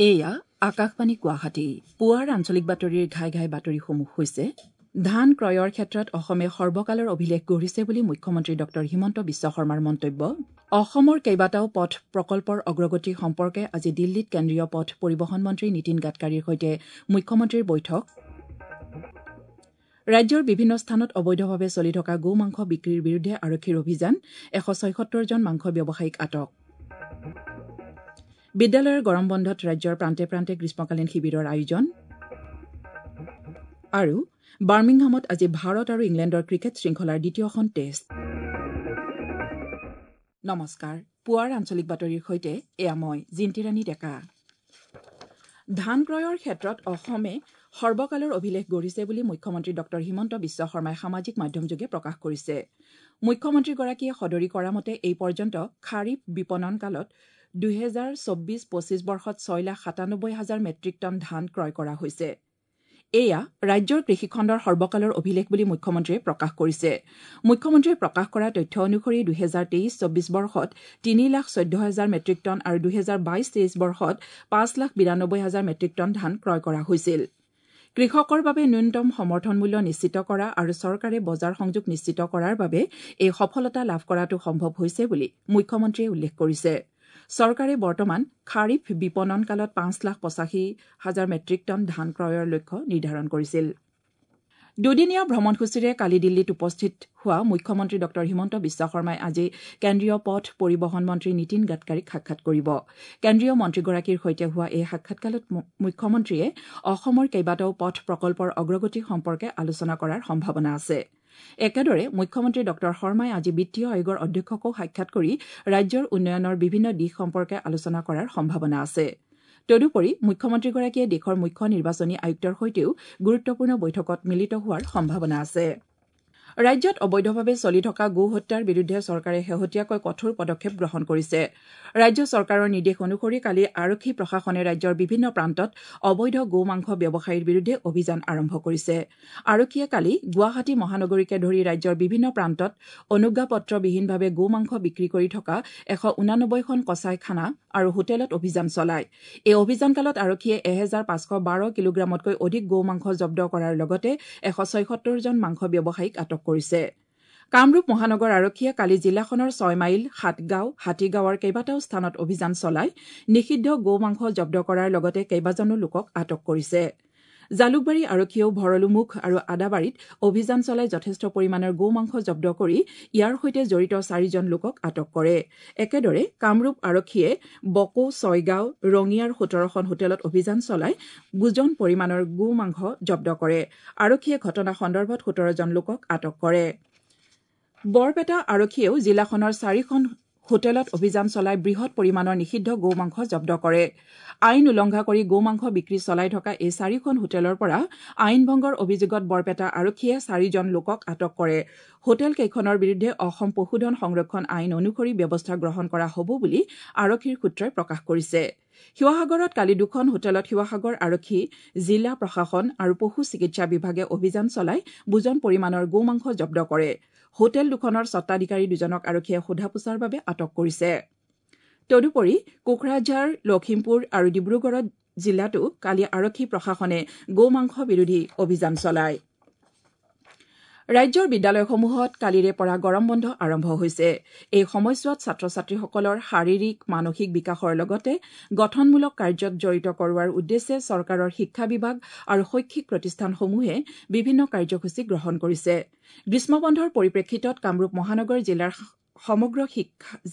এয়া আকাশবাণী গুৱাহাটী। পুৱাৰ আঞ্চলিক বাতৰিৰ ঘাই ঘাই বাতৰিসমূহ হৈছে: ধান ক্ৰয়ৰ ক্ষেত্ৰত অসমে সৰ্বকালৰ অভিলেখ গঢ়িছে বুলি মুখ্যমন্ত্ৰী ডঃ হিমন্ত বিশ্ব শৰ্মাৰ মন্তব্য। অসমৰ কেইবাটাও পথ প্ৰকল্পৰ অগ্ৰগতি সম্পৰ্কে আজি দিল্লীত কেন্দ্ৰীয় পথ পৰিবহণ মন্ত্ৰী নীতিন গাডকাৰীৰ সৈতে মুখ্যমন্ত্ৰীৰ বৈঠক। ৰাজ্যৰ বিভিন্ন স্থানত অবৈধভাৱে চলি থকা গো মাংস বিক্ৰীৰ বিৰুদ্ধে আৰক্ষীৰ অভিযান, 176 জন মাংস ব্যৱসায়ীক আটক। বিদ্যালয়ৰ গৰম বন্ধত ৰাজ্যৰ প্ৰান্তে প্ৰান্তে গ্ৰীষ্মকালীন শিবিৰৰ আয়োজন। আৰু বাৰ্মিংহামত আজি ভাৰত আৰু ইংলেণ্ডৰ ক্ৰিকেট শৃংখলাৰ দ্বিতীয়খন টেষ্ট। নমস্কাৰ, পুৱাৰ আঞ্চলিক বাতৰিৰ সৈতে এয়া মই জিন্তিৰাণী ডেকা। ধান ক্ৰয়ৰ ক্ষেত্ৰত অসমে সৰ্বকালৰ অভিলেখ গঢ়িছে বুলি মুখ্যমন্ত্ৰী ডঃ হিমন্ত বিশ্ব শৰ্মাই সামাজিক মাধ্যমযোগে প্ৰকাশ কৰিছে। মুখ্যমন্ত্ৰীগৰাকীয়ে সদৰি কৰা মতে এই পৰ্যন্ত খাৰিফ বিপণন কালত 2024-25 বৰ্ষত 6,97,000 মেট্ৰিক টন ধান ক্ৰয় কৰা হৈছে। এয়া ৰাজ্যৰ কৃষিখণ্ডৰ সৰ্বকালৰ অভিলেখ বুলি মুখ্যমন্ত্ৰীয়ে প্ৰকাশ কৰিছে। মুখ্যমন্ত্ৰীয়ে প্ৰকাশ কৰা তথ্য অনুসৰি 2023-24 বৰ্ষত 3,14,000 মেট্ৰিক টন আৰু 2022-23 বৰ্ষত 5,92,000 মেট্ৰিক টন ধান ক্ৰয় কৰা হৈছিল। কৃষকৰ বাবে ন্যূনতম সমৰ্থন মূল্য নিশ্চিত কৰা আৰু চৰকাৰে বজাৰ সংযোগ নিশ্চিত কৰাৰ বাবে এই সফলতা লাভ কৰাটো সম্ভৱ হৈছে বুলি মুখ্যমন্ত্ৰীয়ে উল্লেখ কৰিছে। চৰকাৰে বৰ্তমান খাৰিফ বিপণন কালত 5,85,000 মেট্ৰিক টন ধান ক্ৰয়ৰ লক্ষ্য নিৰ্ধাৰণ কৰিছিল। দুদিনীয়া ভ্ৰমণসূচীৰে কালি দিল্লীত উপস্থিত হোৱা মুখ্যমন্ত্ৰী ডঃ হিমন্ত বিশ্ব শৰ্মাই আজি কেন্দ্ৰীয় পথ পৰিবহণ মন্ত্ৰী নীতিন গাডকাৰীক সাক্ষাৎ কৰিব। কেন্দ্ৰীয় মন্ত্ৰীগৰাকীৰ সৈতে হোৱা এই সাক্ষাৎকালত মুখ্যমন্ত্ৰীয়ে অসমৰ কেইবাটাও পথ প্ৰকল্পৰ অগ্ৰগতি সম্পৰ্কে আলোচনা কৰাৰ সম্ভাৱনা আছে। একেদৰে মুখ্যমন্ত্ৰী ডঃ শৰ্মাই আজি বিত্তীয় আয়োগৰ অধ্যক্ষকো সাক্ষাৎ কৰি ৰাজ্যৰ উন্নয়নৰ বিভিন্ন দিশ সম্পৰ্কে আলোচনা কৰাৰ সম্ভাৱনা আছে। তদুপৰি মুখ্যমন্ত্ৰীগৰাকীয়ে দেশৰ মুখ্য নিৰ্বাচনী আয়ুক্তৰ সৈতেও গুৰুত্বপূৰ্ণ বৈঠকত মিলিত হোৱাৰ সম্ভাৱনা আছে। ৰাজ্যত অবৈধভাৱে চলি থকা গো হত্যাৰ বিৰুদ্ধে চৰকাৰে শেহতীয়াকৈ কঠোৰ পদক্ষেপ গ্ৰহণ কৰিছে। ৰাজ্য চৰকাৰৰ নিৰ্দেশ অনুসৰি কালি আৰক্ষী প্ৰশাসনে ৰাজ্যৰ বিভিন্ন প্ৰান্তত অবৈধ গো মাংস ব্যৱসায়ীৰ বিৰুদ্ধে অভিযান আৰম্ভ কৰিছে। আৰক্ষীয়ে কালি গুৱাহাটী মহানগৰীকে ধৰি ৰাজ্যৰ বিভিন্ন প্ৰান্তত অনুজ্ঞাপত্ৰবিহীনভাৱে গো মাংস বিক্ৰী কৰি থকা 189খন কচাইখানা আৰু হোটেলত অভিযান চলায়। এই অভিযানকালত আৰক্ষীয়ে 1512 কিলোগ্ৰামতকৈ অধিক গো মাংস জব্দ কৰাৰ লগতে 176 জন মাংস ব্যৱসায়ীক আটক কৰিছে। কামৰূপ মহানগৰ আৰক্ষীয়ে কালি জিলাখনৰ 6 মাইল, সাতগাঁও, হাতীগাঁৱৰ কেইবাটাও স্থানত অভিযান চলাই নিষিদ্ধ গো মাংস জব্দ কৰাৰ লগতে কেইবাজনো লোকক আটক কৰিছে। জালুকবাৰী আৰক্ষীয়েও ভৰলুমুখ আৰু আদাবাৰীত অভিযান চলাই যথেষ্ট পৰিমাণৰ গো মাংস জব্দ কৰি ইয়াৰ সৈতে জড়িত 4 জন লোকক আটক কৰে। একেদৰে কামৰূপ আৰক্ষীয়ে বকো, ছয়গাঁও, ৰঙিয়াৰ 17খন হোটেলত অভিযান চলাই বুজন পৰিমাণৰ গো মাংস জব্দ কৰে। আৰক্ষীয়ে ঘটনা সন্দৰ্ভত 17 জন লোকক আটক কৰে। বৰপেটা আৰক্ষীয়েও জিলাখনৰ 4খন হোটেলত অভিযান চলাই বৃহৎ পৰিমাণৰ নিষিদ্ধ গো মাংস জব্দ কৰে। আইন উলংঘা কৰি গো মাংস বিক্ৰী চলাই থকা এই 4খন হোটেলৰ পৰা আইন ভংগৰ অভিযোগত বৰপেটা আৰক্ষীয়ে 4 জন লোকক আটক কৰে। হোটেল কেইখনৰ বিৰুদ্ধে অসম পশুধন সংৰক্ষণ আইন অনুসৰি ব্যৱস্থা গ্ৰহণ কৰা হ'ব বুলি আৰক্ষীৰ সূত্ৰই প্ৰকাশ কৰিছে। শিৱসাগৰত কালি 2খন হোটেলত শিৱসাগৰ আৰক্ষী, জিলা প্ৰশাসন আৰু পশু চিকিৎসা বিভাগে অভিযান চলাই বুজন পৰিমাণৰ গো মাংস জব্দ কৰে। হোটেল দুখনৰ স্বত্বাধিকাৰী 2জনক আৰক্ষীয়ে সোধা পোছাৰ বাবে আটক কৰিছে। তদুপৰি কোকৰাঝাৰ, লখিমপুৰ আৰু ডিব্ৰুগড় জিলাতো কালি আৰক্ষী প্ৰশাসনে গো মাংস বিৰোধী অভিযান চলায়। ৰাজ্যৰ বিদ্যালয়সমূহত কালিৰে পৰা গৰম বন্ধ আৰম্ভ হৈছে। এই সময়ছোৱাত ছাত্ৰ ছাত্ৰীসকলৰ শাৰীৰিক, মানসিক বিকাশৰ লগতে গঠনমূলক কাৰ্যত জড়িত কৰোৱাৰ উদ্দেশ্যে চৰকাৰৰ শিক্ষা বিভাগ আৰু শৈক্ষিক প্ৰতিষ্ঠানসমূহে বিভিন্ন কাৰ্যসূচী গ্ৰহণ কৰিছে। গ্ৰীষ্মবন্ধৰ পৰিপ্ৰেক্ষিতত কামৰূপ মহানগৰ জিলাৰ সমগ্ৰ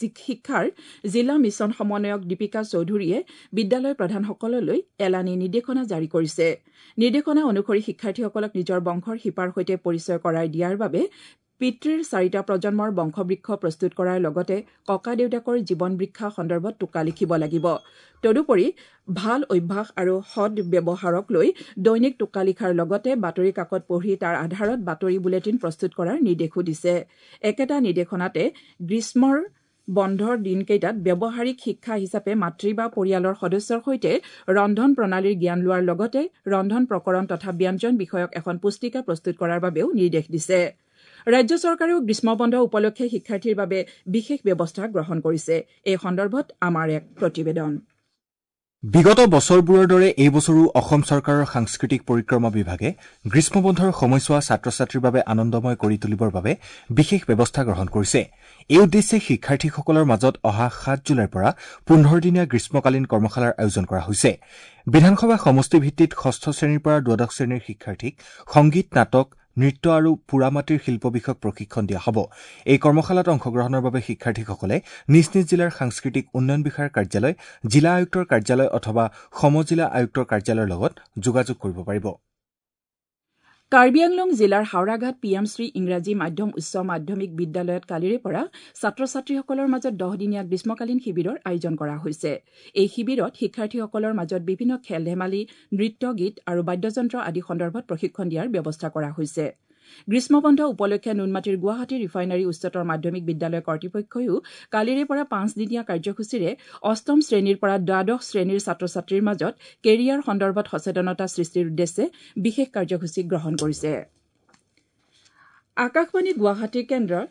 শিক্ষাৰ জিলা মিছন সমন্বয়ক দীপিকা চৌধুৰীয়ে বিদ্যালয় প্ৰধানসকললৈ এলানি নিৰ্দেশনা জাৰি কৰিছে। নিৰ্দেশনা অনুসৰি শিক্ষাৰ্থীসকলক নিজৰ বংশৰ শিপাৰ সৈতে পৰিচয় কৰাই দিয়াৰ বাবে পিতৃৰ 4টা প্ৰজন্মৰ বংশবৃক্ষ প্ৰস্তুত কৰাৰ লগতে ককা দেউতাকৰ জীৱন বৃক্ষা সন্দৰ্ভত টোকা লিখিব লাগিব। তদুপৰি ভাল অভ্যাস আৰু সৎ ব্যৱহাৰক লৈ দৈনিক টোকা লিখাৰ লগতে বাতৰি কাকত পঢ়ি তাৰ আধাৰত বাতৰি বুলেটিন প্ৰস্তুত কৰাৰ নিৰ্দেশো দিছে। একেটা নিৰ্দেশনাতে গ্ৰীষ্মৰ বন্ধৰ দিনকেইটাত ব্যৱহাৰিক শিক্ষা হিচাপে মাতৃ বা পৰিয়ালৰ সদস্যৰ সৈতে ৰন্ধন প্ৰণালীৰ জ্ঞান লোৱাৰ লগতে ৰন্ধন প্ৰকৰণ তথা ব্যঞ্জন বিষয়ক এখন পুস্তিকা প্ৰস্তুত কৰাৰ বাবেও নিৰ্দেশ দিছে। ৰাজ্য চৰকাৰেও গ্ৰীষ্মবন্ধ উপলক্ষে শিক্ষাৰ্থীৰ বাবে বিশেষ ব্যৱস্থা গ্ৰহণ কৰিছে। এই সন্দৰ্ভত আমাৰ এক প্ৰতিবেদন। বিগত বছৰবোৰৰ দৰে এই বছৰো অসম চৰকাৰৰ সাংস্কৃতিক পৰিক্ৰমা বিভাগে গ্ৰীষ্মবন্ধৰ সময়ছোৱা ছাত্ৰ-ছাত্ৰীৰ বাবে আনন্দময় কৰি তুলিবৰ বাবে বিশেষ ব্যৱস্থা গ্ৰহণ কৰিছে। এই উদ্দেশ্যে শিক্ষাৰ্থীসকলৰ মাজত অহা 7 জুলাইৰ পৰা 15 দিনীয়া গ্ৰীষ্মকালীন কৰ্মশালাৰ আয়োজন কৰা হৈছে। বিধানসভা সমষ্টিভিত্তিত ষষ্ঠ শ্ৰেণীৰ পৰা দ্বাদশ শ্ৰেণীৰ শিক্ষাৰ্থীক সংগীত, নাটক, নৃত্য আৰু পোৰামাটিৰ শিল্প বিষয়ক প্ৰশিক্ষণ দিয়া হ'ব। এই কৰ্মশালাত অংশগ্ৰহণৰ বাবে শিক্ষাৰ্থীসকলে নিজ নিজ জিলাৰ সাংস্কৃতিক উন্নয়ন বিষয়াৰ কাৰ্যালয়, জিলা আয়ুক্তৰ কাৰ্যালয় অথবা সমজিলা আয়ুক্তৰ কাৰ্যালয়ৰ লগত যোগাযোগ কৰিব পাৰিব। কাৰ্বি আংলং জিলাৰ হাওৰাঘাট পি এম শ্ৰী ইংৰাজী মাধ্যম উচ্চ মাধ্যমিক বিদ্যালয়ত কালিৰে পৰা ছাত্ৰ ছাত্ৰীসকলৰ মাজত 10 দিনীয়া গ্ৰীষ্মকালীন শিবিৰৰ আয়োজন কৰা হৈছে। এই শিবিৰত শিক্ষাৰ্থীসকলৰ মাজত বিভিন্ন খেল ধেমালি, নৃত্য, গীত আৰু বাদ্যযন্ত্ৰ আদি সন্দৰ্ভত প্ৰশিক্ষণ দিয়াৰ ব্যৱস্থা কৰা হৈছে। গ্ৰীষ্মবন্ধ উপলক্ষে নুনমাটিৰ গুৱাহাটী ৰিফাইনাৰী উচ্চতৰ মাধ্যমিক বিদ্যালয় কৰ্তৃপক্ষইও কালিৰে পৰা 5 দিনীয়া কাৰ্যসূচীৰে অষ্টম শ্ৰেণীৰ পৰা দ্বাদশ শ্ৰেণীৰ ছাত্ৰ ছাত্ৰীৰ মাজত কেৰিয়াৰ সন্দৰ্ভত সচেতনতা সৃষ্টিৰ উদ্দেশ্যে বিশেষ কাৰ্যসূচী গ্ৰহণ কৰিছে। আকাশবাণী গুৱাহাটী কেন্দ্ৰৰ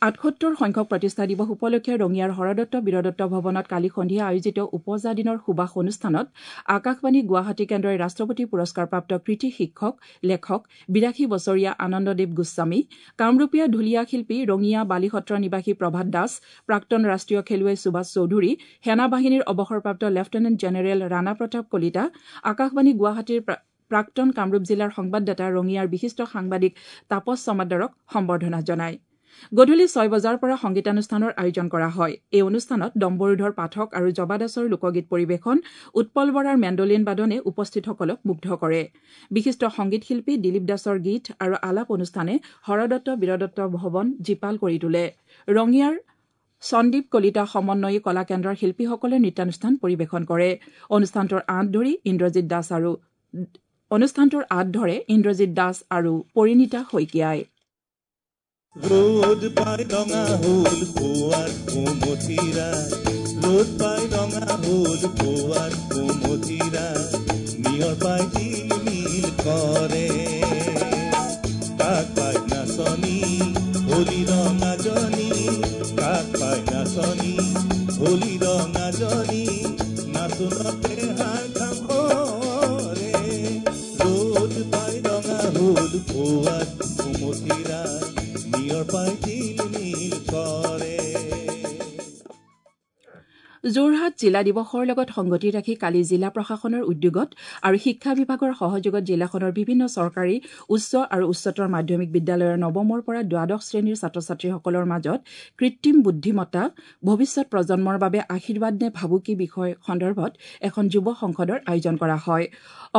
78 সংখ্যক প্ৰতিষ্ঠা দিৱস উপলক্ষে ৰঙিয়াৰ হৰদত্ত বীৰদত্ত ভৱনত কালি সন্ধিয়া আয়োজিত উপজা দিনৰ সুবাস অনুষ্ঠানত আকাশবাণী গুৱাহাটী কেন্দ্ৰই ৰাষ্ট্ৰপতি পুৰস্কাৰপ্ৰাপ্ত কৃতি শিক্ষক, লেখক 82 বছৰীয়া আনন্দদেৱ গোস্বামী, কামৰূপীয়া ঢুলীয়া শিল্পী ৰঙিয়া বালিসত্ৰ নিবাসী প্ৰভাত দাস, প্ৰাক্তন ৰাষ্ট্ৰীয় খেলুৱৈ সুভাষ চৌধুৰী, সেনা বাহিনীৰ অৱসৰপ্ৰাপ্ত লেফটেনেণ্ট জেনেৰেল ৰাণা প্ৰতাপ কলিতা, আকাশবাণী গুৱাহাটীৰ প্ৰাক্তন কামৰূপ জিলাৰ সংবাদদাতা ৰঙিয়াৰ বিশিষ্ট সাংবাদিক তাপস চমাদ্দাৰক সম্বৰ্ধনা জনায়। গধূলি 6 বজাৰ পৰা সংগীতানুষ্ঠানৰ আয়োজন কৰা হয়। এই অনুষ্ঠানত ডম্বৰুধৰ পাঠক আৰু জবা দাসৰ লোকগীত পৰিৱেশন, উৎপল বৰাৰ মেণ্ডলিন বাদনে উপস্থিতসকলক মুগ্ধ কৰে। বিশিষ্ট সংগীত শিল্পী দিলীপ দাসৰ গীত আৰু আলাপ অনুষ্ঠানে হৰদত্ত বীৰদত্ত ভৱন জীপাল কৰি তোলে। ৰঙিয়াৰ সন্দীপ কলিতা সমন্বয়ী কলা কেন্দ্ৰৰ শিল্পীসকলে নৃত্যানুষ্ঠান পৰিৱেশন কৰে। অনুষ্ঠানটোৰ আঁত ধৰে ইন্দ্ৰজিৎ দাস আৰু পৰিণীতা শইকীয়াই। ৰ'দ পাই ৰঙা হ'ল পুৱাৰ কুমতিৰা, ৰ'দ পাই ৰঙা হ'ল পুৱাৰ কুমতিৰা, নিয়ৰ পাই জিলমিল কৰে। কাক পাই নাচনী হোলী ৰঙাজনী, কাক পাই নাচনী হোলী ৰঙাজনী, নাচোনতে হাত ঘাম সৰে। ৰ'দ পাই ৰঙা হ'ল পুৱাৰ কুমতিৰা, যোৰহাট জিলা দিৱসৰ লগত সংগতি ৰাখি কালি জিলা প্ৰশাসনৰ উদ্যোগত আৰু শিক্ষা বিভাগৰ সহযোগত জিলাখনৰ বিভিন্ন চৰকাৰী উচ্চ আৰু উচ্চতৰ মাধ্যমিক বিদ্যালয়ৰ নৱমৰ পৰা দ্বাদশ শ্ৰেণীৰ ছাত্ৰ ছাত্ৰীসকলৰ মাজত কৃত্ৰিম বুদ্ধিমত্তা ভৱিষ্যত প্ৰজন্মৰ বাবে আশীৰ্বাদ নে ভাবুকি বিষয় সন্দৰ্ভত এখন যুৱ সংসদৰ আয়োজন কৰা হয়।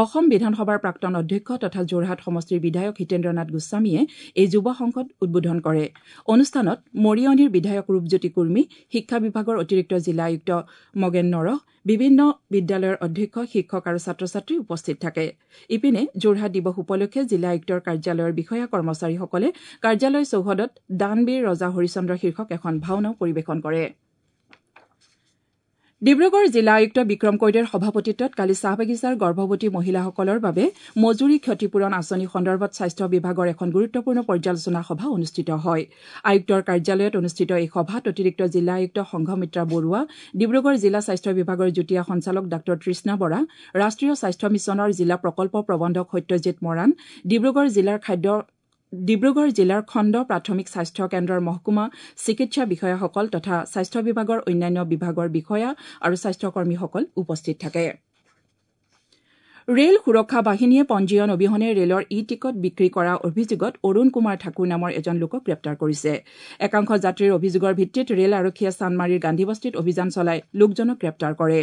অসম বিধানসভাৰ প্ৰাক্তন অধ্যক্ষ তথা যোৰহাট সমষ্টিৰ বিধায়ক হিতেন্দ্ৰনাথ গোস্বামীয়ে এই যুৱ সংসদ উদ্বোধন কৰে। অনুষ্ঠানত মৰিয়নিৰ বিধায়ক ৰূপজ্যোতি কুৰ্মী, শিক্ষা বিভাগৰ অতিৰিক্ত জিলা আয়ুক্ত মগেন নৰহ, বিভিন্ন বিদ্যালয়ৰ অধ্যক্ষ, শিক্ষক আৰু ছাত্ৰ ছাত্ৰী উপস্থিত থাকে। ইপিনে যোৰহাট দিৱস উপলক্ষে জিলা আয়ুক্তৰ কাৰ্যালয়ৰ বিষয়া কৰ্মচাৰীসকলে কাৰ্যালয় চৌহদত দানবীৰ ৰজা হৰিশ্চন্দ্ৰ শীৰ্ষক এখন ভাওনাও পৰিৱেশন কৰে। ডিব্ৰুগড় জিলা আয়ুক্ত বিক্ৰম কৈদেৰ সভাপতিত্বত কালি চাহ বাগিচাৰ গৰ্ভৱতী মহিলাসকলৰ বাবে মজুৰি ক্ষতিপূৰণ আঁচনি সন্দৰ্ভত স্বাস্থ্য বিভাগৰ এখন গুৰুত্বপূৰ্ণ পৰ্যালোচনা সভা অনুষ্ঠিত হয়। আয়ুক্তৰ কাৰ্যালয়ত অনুষ্ঠিত এই সভাত অতিৰিক্ত জিলা আয়ুক্ত সংঘমিত্ৰা বৰুৱা, ডিব্ৰুগড় জিলা স্বাস্থ্য বিভাগৰ যুটীয়া সঞ্চালক ডাঃ তৃষ্ণা বৰা, ৰাষ্ট্ৰীয় স্বাস্থ্য মিছনৰ জিলা প্ৰকল্প প্ৰবন্ধক সত্যজিৎ মৰাণ, ডিব্ৰুগড় জিলাৰ খণ্ড প্ৰাথমিক স্বাস্থ্য কেন্দ্ৰৰ মহকুমা চিকিৎসা বিষয়াসকল তথা স্বাস্থ্য বিভাগৰ অন্যান্য বিভাগৰ বিষয়া আৰু স্বাস্থ্যকৰ্মীসকল উপস্থিত থাকে। ৰেল সুৰক্ষা বাহিনীয়ে পঞ্জীয়ন অবিহনে ৰেলৰ ই টিকট বিক্ৰী কৰাৰ অভিযোগত অৰুণ কুমাৰ ঠাকুৰ নামৰ এজন লোকক গ্ৰেপ্তাৰ কৰিছে। একাংশ যাত্ৰীৰ অভিযোগৰ ভিত্তিত ৰেল আৰক্ষীয়ে চানমাৰীৰ গান্ধীবস্তিত অভিযান চলাই লোকজনক গ্ৰেপ্তাৰ কৰে।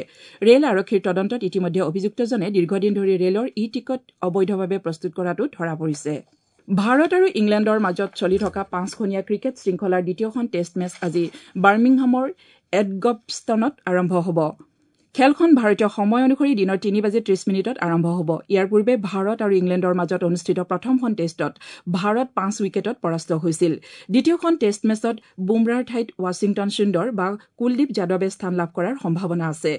ৰেল আৰক্ষীৰ তদন্তত ইতিমধ্যে অভিযুক্তজনে দীৰ্ঘদিন ধৰি ৰেলৰ ই টিকট অবৈধভাৱে প্ৰস্তুত কৰাটো ধৰা পৰিছে। ভাৰত আৰু ইংলেণ্ডৰ মাজত চলি থকা 5খনীয়া ক্ৰিকেট শৃংখলাৰ দ্বিতীয়খন টেষ্ট মেচ আজি বাৰ্মিংহামৰ এডগবষ্টনত আৰম্ভ হ'ব। খেলখন ভাৰতীয় সময় অনুসৰি দিনৰ 3:30 আৰম্ভ হ'ব। ইয়াৰ পূৰ্বে ভাৰত আৰু ইংলেণ্ডৰ মাজত অনুষ্ঠিত প্ৰথমখন টেষ্টত ভাৰত 5 উইকেটত পৰাস্ত হৈছিল। দ্বিতীয়খন টেষ্ট মেচত বুমৰাৰ ঠাইত ৱাশ্বিংটন সুন্দৰ বা কুলদীপ যাদৱে স্থান লাভ কৰাৰ সম্ভাৱনা আছে।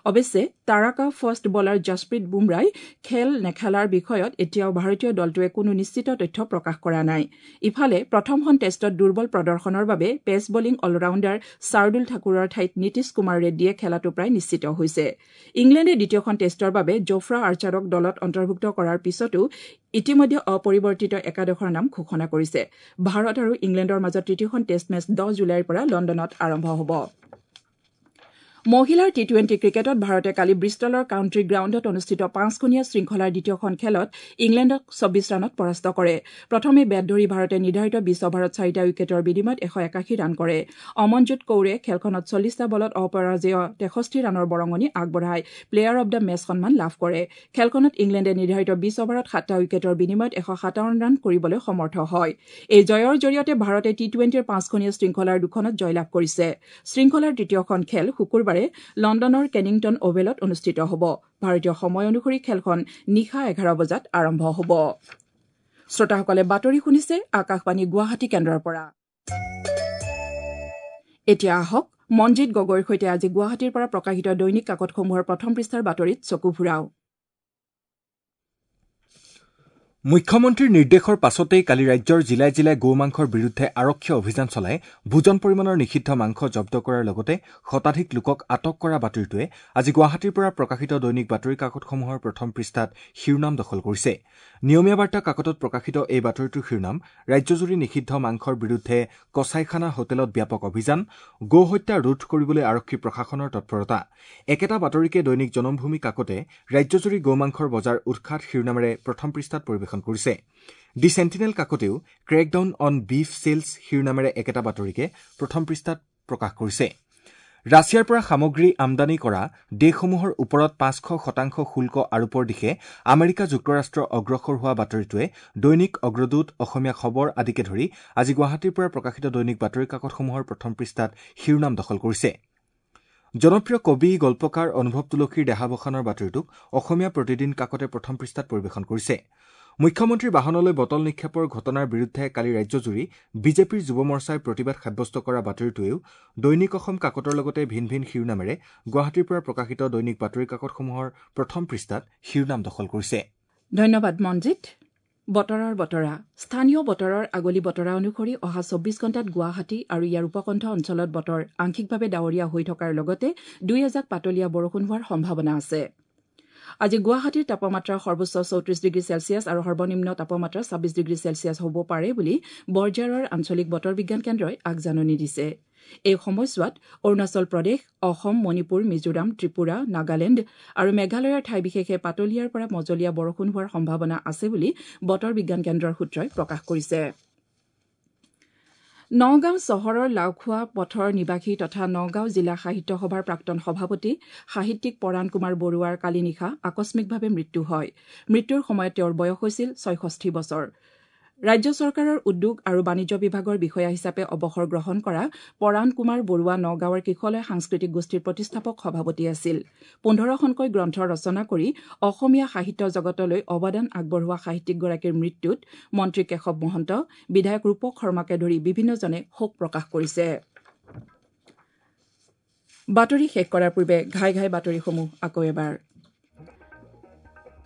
অৱশ্যে তাৰকা ফাষ্ট বলাৰ জছপ্ৰীত বুমৰাই খেল নেখেলাৰ বিষয়ত এতিয়াও ভাৰতীয় দলটোৱে কোনো নিশ্চিত তথ্য প্ৰকাশ কৰা নাই। ইফালে প্ৰথমখন টেষ্টত দুৰ্বল প্ৰদৰ্শনৰ বাবে পেচ বলিং অলৰাউণ্ডাৰ শাৰ্দুল ঠাকুৰৰ ঠাইত নীতিশ কুমাৰ ৰেড্ডীয়ে খেলাটো প্ৰায় নিশ্চিত হৈছে। হৈছে। ইংলেণ্ডে দ্বিতীয়খন টেষ্টৰ বাবে জোফ্ৰা আৰ্চাৰক দলত অন্তৰ্ভুক্ত কৰাৰ পিছতো ইতিমধ্যে অপৰিৱৰ্তিত একাদশৰ নাম ঘোষণা কৰিছে। ভাৰত আৰু ইংলেণ্ডৰ মাজত তৃতীয়খন টেষ্ট মেচ 10 জুলাইৰ পৰা লণ্ডনত আৰম্ভ হ'ব। মহিলাৰ টি-টুৱেণ্টি ক্ৰিকেটত ভাৰতে কালি ব্ৰিষ্টলৰ কাউণ্ট্ৰি গ্ৰাউণ্ডত অনুষ্ঠিত 5খনীয়া শৃংখলাৰ দ্বিতীয়খন খেলত ইংলেণ্ডক 24 ৰানত পৰাস্ত কৰে। প্ৰথমে বেট ধৰি ভাৰতে নিৰ্ধাৰিত 20 অভাৰত 4টা উইকেটৰ বিনিময়ত 181 ৰান কৰে। অমনজোত কৌৰে খেলখনত 40টা বলত অপৰাজেয় 63 ৰানৰ বৰঙণি আগবঢ়াই প্লেয়াৰ অব the match সন্মান লাভ কৰে। খেলখনত ইংলেণ্ডে নিৰ্ধাৰিত 20 অভাৰত 7টা উইকেটৰ বিনিময়ত 157 ৰান কৰিবলৈ সমৰ্থ হয়। এই জয়ৰ জৰিয়তে ভাৰতে টি-টুৱেণ্টিৰ 5খনীয়া শৃংখলাৰ দুখনত জয়লাভ কৰিছে। শৃংখলাৰ তৃতীয়খন খেল শুকুৰবাৰে লণ্ডনৰ কেনিংটন অভেলত অনুষ্ঠিত হ'ব। ভাৰতীয় সময় অনুসৰি খেলখন নিশা 11 বজাত আৰম্ভ হ'ব। শ্ৰোতাসকলে বাতৰি শুনিছে আকাশবাণী গুৱাহাটী কেন্দ্ৰৰ পৰা। এতিয়া আহক মনজিত গগৈৰ সৈতে আজি গুৱাহাটীৰ পৰা প্ৰকাশিত দৈনিক কাকতসমূহৰ প্ৰথম পৃষ্ঠাৰ বাতৰিত চকু ফুৰাওঁ। মুখ্যমন্ত্ৰীৰ নিৰ্দেশৰ পাছতেই কালি ৰাজ্যৰ জিলাই জিলাই গৌ মাংসৰ বিৰুদ্ধে আৰক্ষীয়ে অভিযান চলাই বুজন পৰিমাণৰ নিষিদ্ধ মাংস জব্দ কৰাৰ লগতে শতাধিক লোকক আটক কৰা বাতৰিটোৱে আজি গুৱাহাটীৰ পৰা প্ৰকাশিত দৈনিক বাতৰি কাকতসমূহৰ প্ৰথম পৃষ্ঠাত শিৰোনাম দখল কৰিছে। নিয়মীয়া বাৰ্তা কাকতত প্ৰকাশিত এই বাতৰিটোৰ শিৰোনাম ৰাজ্যজুৰি নিষিদ্ধ মাংসৰ বিৰুদ্ধে কচাইখানা হোটেলত ব্যাপক অভিযান, গৌ হত্যা ৰোধ কৰিবলৈ আৰক্ষী প্ৰশাসনৰ তৎপৰতা। একেটা বাতৰিকে দৈনিক জনমভূমি কাকতে ৰাজ্যজুৰি গৌ মাংসৰ বজাৰ উৎখাত শিৰোনামেৰে প্ৰথম পৃষ্ঠাত পৰিৱেশন কৰিছে। দি চেণ্টিনেল কাকতেও ক্ৰেকডাউন অন বিফ চেলছ শিৰোনামেৰে একেটা বাতৰিকে প্ৰথম পৃষ্ঠাত প্ৰকাশ কৰিছে। ৰাছিয়াৰ পৰা সামগ্ৰী আমদানি কৰা দেশসমূহৰ ওপৰত 500% শুল্ক আৰোপৰ দিশে আমেৰিকা যুক্তৰাষ্ট্ৰ অগ্ৰসৰ হোৱা বাতৰিটোৱে দৈনিক অগ্ৰদূত, অসমীয়া খবৰ আদিকে ধৰি আজি গুৱাহাটীৰ পৰা প্ৰকাশিত দৈনিক বাতৰি কাকতসমূহৰ প্ৰথম পৃষ্ঠাত শিৰোনাম দখল কৰিছে। জনপ্ৰিয় কবি গল্পকাৰ অনুভৱ তুলসীৰ দেহাৱসানৰ বাতৰিটোক অসমীয়া প্ৰতিদিন কাকতে প্ৰথম পৃষ্ঠাত পৰিৱেশন কৰিছে। মুখ্যমন্ত্ৰীৰ বাহনলৈ বটল নিক্ষেপৰ ঘটনাৰ বিৰুদ্ধে কালি ৰাজ্যজুৰি বিজেপিৰ যুৱ মৰ্চাই প্ৰতিবাদ সাব্যস্ত কৰা বাতৰিটোৱেও দৈনিক অসম কাকতৰ লগতে ভিন ভিন শিৰোনামেৰে গুৱাহাটীৰ পৰা প্ৰকাশিত দৈনিক বাতৰি কাকতসমূহৰ প্ৰথম পৃষ্ঠাত শিৰোনাম দখল কৰিছে। ধন্যবাদ মনজিত। বতৰৰ বতৰা। স্থানীয় বতৰৰ আগলি বতৰা অনুসৰি অহা 24 ঘণ্টাত গুৱাহাটী আৰু ইয়াৰ উপকণ্ঠ অঞ্চলত বতৰ আংশিকভাৱে ডাৱৰীয়া হৈ থকাৰ লগতে দুই এজাক পাতলীয়া বৰষুণ হোৱাৰ সম্ভাৱনা আছে। আজি গুৱাহাটীৰ তাপমাত্ৰা সৰ্বোচ্চ 34 ডিগ্ৰী চেলছিয়াছ আৰু সৰ্বনিম্ন তাপমাত্ৰা 26 ডিগ্ৰী চেলছিয়াছ হ'ব পাৰে বুলি বৰঝাৰৰ আঞ্চলিক বতৰ বিজ্ঞান কেন্দ্ৰই আগজাননী দিছে। এই সময়ছোৱাত অৰুণাচল প্ৰদেশ, অসম, মণিপুৰ, মিজোৰাম, ত্ৰিপুৰা, নাগালেণ্ড আৰু মেঘালয়ৰ ঠাই বিশেষে পাতলীয়াৰ পৰা মজলীয়া বৰষুণ হোৱাৰ সম্ভাৱনা আছে বুলি বতৰ বিজ্ঞান কেন্দ্ৰৰ সূত্ৰই প্ৰকাশ কৰিছে। নগাঁও চহৰৰ লাওখোৱা পথৰ নিবাসী তথা নগাঁও জিলা সাহিত্য সভাৰ প্ৰাক্তন সভাপতি সাহিত্যিক পৰাণ কুমাৰ বৰুৱাৰ কালি নিশা আকস্মিকভাৱে মৃত্যু হয়। মৃত্যুৰ সময়ত তেওঁৰ বয়স হৈছিল 66 বছৰ। ৰাজ্য চৰকাৰৰ উদ্যোগ আৰু বাণিজ্য বিভাগৰ বিষয়া হিচাপে অৱসৰ গ্ৰহণ কৰা পৰাণ কুমাৰ বৰুৱা নগাঁৱৰ কিশলয় সাংস্কৃতিক গোষ্ঠীৰ প্ৰতিষ্ঠাপক সভাপতি আছিল। 15খনকৈ গ্ৰন্থ ৰচনা কৰি অসমীয়া সাহিত্য জগতলৈ অৱদান আগবঢ়োৱা সাহিত্যিকগৰাকীৰ মৃত্যুত মন্ত্ৰী কেশৱ মহন্ত, বিধায়ক ৰূপক শৰ্মাকে ধৰি বিভিন্নজনে শোক প্ৰকাশ কৰিছে। বাতৰি শেষ কৰাৰ পূৰ্বে ঘাই ঘাই বাতৰিসমূহ আকৌ এবাৰ।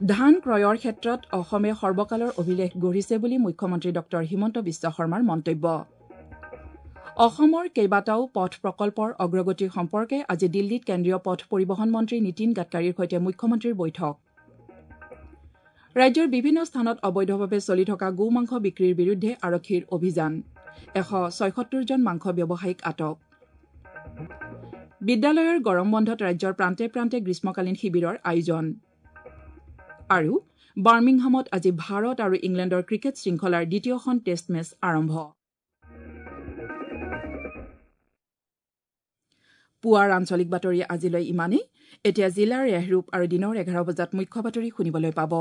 ধান ক্ৰয়ৰ ক্ষেত্ৰত অসমে সৰ্বকালৰ অভিলেখ গঢ়িছে বুলি মুখ্যমন্ত্ৰী ডঃ হিমন্ত বিশ্ব শৰ্মাৰ মন্তব্য। অসমৰ কেইবাটাও পথ প্ৰকল্পৰ অগ্ৰগতি সম্পৰ্কে আজি দিল্লীত কেন্দ্ৰীয় পথ পৰিবহণ মন্ত্ৰী নীতিন গাডকাৰীৰ সৈতে মুখ্যমন্ত্ৰীৰ বৈঠক। ৰাজ্যৰ বিভিন্ন স্থানত অবৈধভাৱে চলি থকা গো মাংস বিক্ৰীৰ বিৰুদ্ধে আৰক্ষীৰ অভিযান। 176 জন মাংস ব্যৱসায়ীক আটক। বিদ্যালয়ৰ গৰম বন্ধত ৰাজ্যৰ প্ৰান্তে প্ৰান্তে গ্ৰীষ্মকালীন শিবিৰৰ আয়োজন। আৰু বাৰ্মিংহামত আজি ভাৰত আৰু ইংলেণ্ডৰ ক্ৰিকেট শৃংখলাৰ দ্বিতীয়খন টেষ্ট মেচ আৰম্ভ। পুৱাৰ আঞ্চলিক বাতৰি আজিলৈ ইমানেই। এতিয়া জিলাৰ ৰেহৰূপ আৰু দিনৰ 11 বজাত মুখ্য বাতৰি শুনিবলৈ পাব।